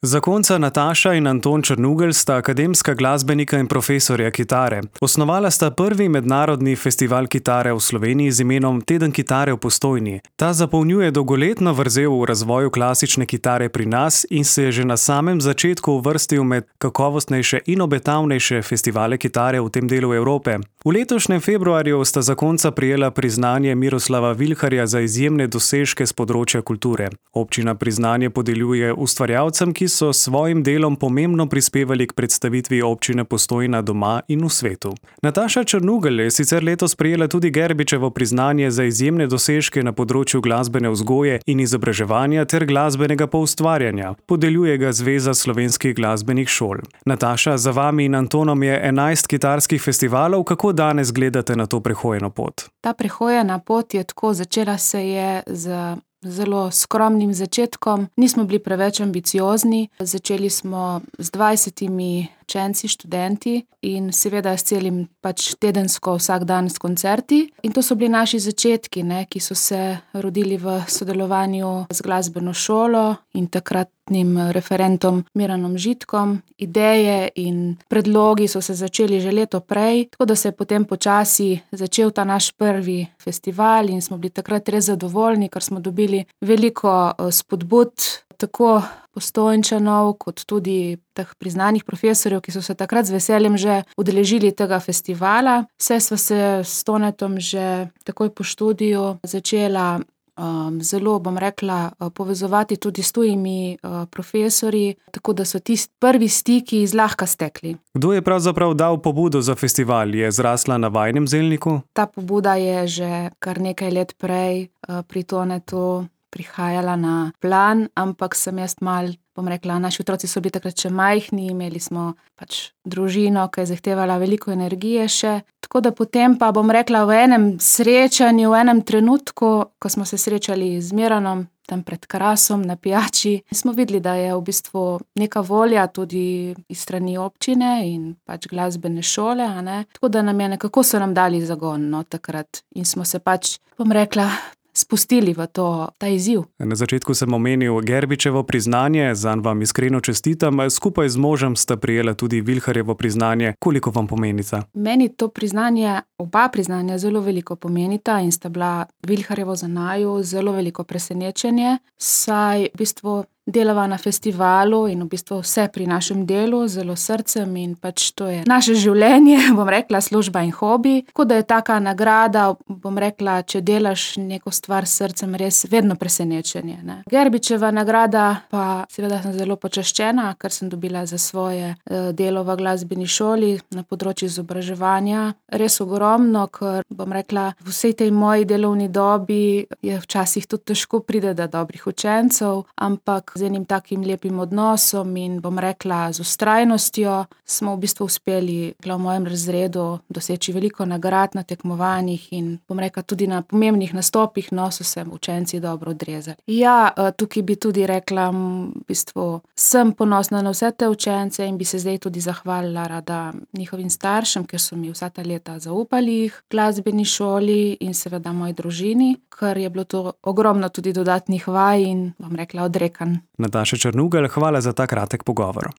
Zakonca Nataša in Anton Črnugelj sta akademska glasbenika in profesorja kitare. Osnovala sta prvi mednarodni festival kitare v Sloveniji z imenom Teden kitare v Postojni. Ta zapolnjuje dolgoletno vrzel v razvoju klasične kitare pri nas in se je že na samem začetku uvrstil med kakovostnejše in obetavnejše festivale kitare v tem delu Evrope. V letošnjem februarju sta zakonca prejela priznanje Miroslava Vilharja za izjemne dosežke s področja kulture. Občina priznanje podeljuje ustvarjalcem, ki so s svojim delom pomembno prispevali k predstavitvi občine Postojna doma in v svetu. Nataša Črnugelj je sicer letos prejela tudi Gerbičevo priznanje za izjemne dosežke na področju glasbene vzgoje in izobraževanja ter glasbenega poustvarjanja. Podeljuje ga Zveza slovenskih glasbenih šol. Nataša, za vami in Antonom je 11 kitarskih festivalov. Kako danes gledate na to prehojeno pot? Ta prehojena pot je tako, začela se je z zelo skromnim začetkom. Nismo bili preveč ambiciozni. Začeli smo z 20 učenci, študenti in seveda s celim tedensko vsak dan s koncerti. In to so bili naši začetki, ki so se rodili v sodelovanju z glasbeno šolo in takratnim referentom Miranom Žitkom. Ideje in predlogi so se začeli že leto prej, tako da se je potem počasi začel ta naš prvi festival in smo bili takrat res zadovoljni, ker smo dobili veliko spodbud, tako Postojnčanov, kot tudi teh priznanih profesorjev, ki so se takrat z veseljem že udeležili tega festivala. Saj sva se s Tonetom že takoj po študiju začela zelo, povezovati tudi s tujimi profesorji, tako da so tisti prvi stiki zlahka stekli. Kdo je pravzaprav dal pobudo za festival? Je zrasla na vajinem zelniku? Ta pobuda je že kar nekaj let prej pri Tonetu prihajala na plan, ampak sem jaz naši otroci so bili takrat še majhni, imeli smo družino, ki je zahtevala veliko energije še. Tako da potem pa v enem srečanju, v enem trenutku, ko smo se srečali z Miranom, tam pred Krasom na pijači, smo videli, da je v bistvu neka volja tudi iz strani občine in glasbene šole, Tako da nekako so nam dali zagon, takrat. In smo se spustili v ta izziv. Na začetku sem omenil Gerbičevo priznanje, zanj vam iskreno čestitam. Skupaj z možem sta prejela tudi Vilharjevo priznanje. Koliko vam pomenica? Meni to priznanje, oba priznanja zelo veliko pomenita in sta bila Vilharjevo za naju zelo veliko presenečenje, saj v bistvu delava na festivalu in v bistvu vse pri našem delu zelo srcem in to je naše življenje, služba in hobi. Tako da je taka nagrada, če delaš neko stvar s srcem, res vedno presenečenje, Gerbičeva nagrada pa seveda sem zelo počaščena, ker sem dobila za svoje delo v glasbeni šoli na področju izobraževanja. Res ogromno, ker v vsej tej moji delovni dobi je včasih tudi težko pride do dobrih učencev, ampak z enim takim lepim odnosom in z vztrajnostjo smo v bistvu uspeli v mojem razredu doseči veliko nagrad na tekmovanjih in tudi na pomembnih nastopih, so se učenci dobro odrezali. Ja, tukaj bi tudi rekla, v bistvu sem ponosna na vse te učence in bi se zdaj tudi zahvalila rada njihovim staršem, ker so mi vsa ta leta zaupali jih v glasbeni šoli in seveda moji družini, ker je bilo to ogromno tudi dodatnih vaj in odrekanj. Nataša Črnugelj, hvala za ta kratek pogovor.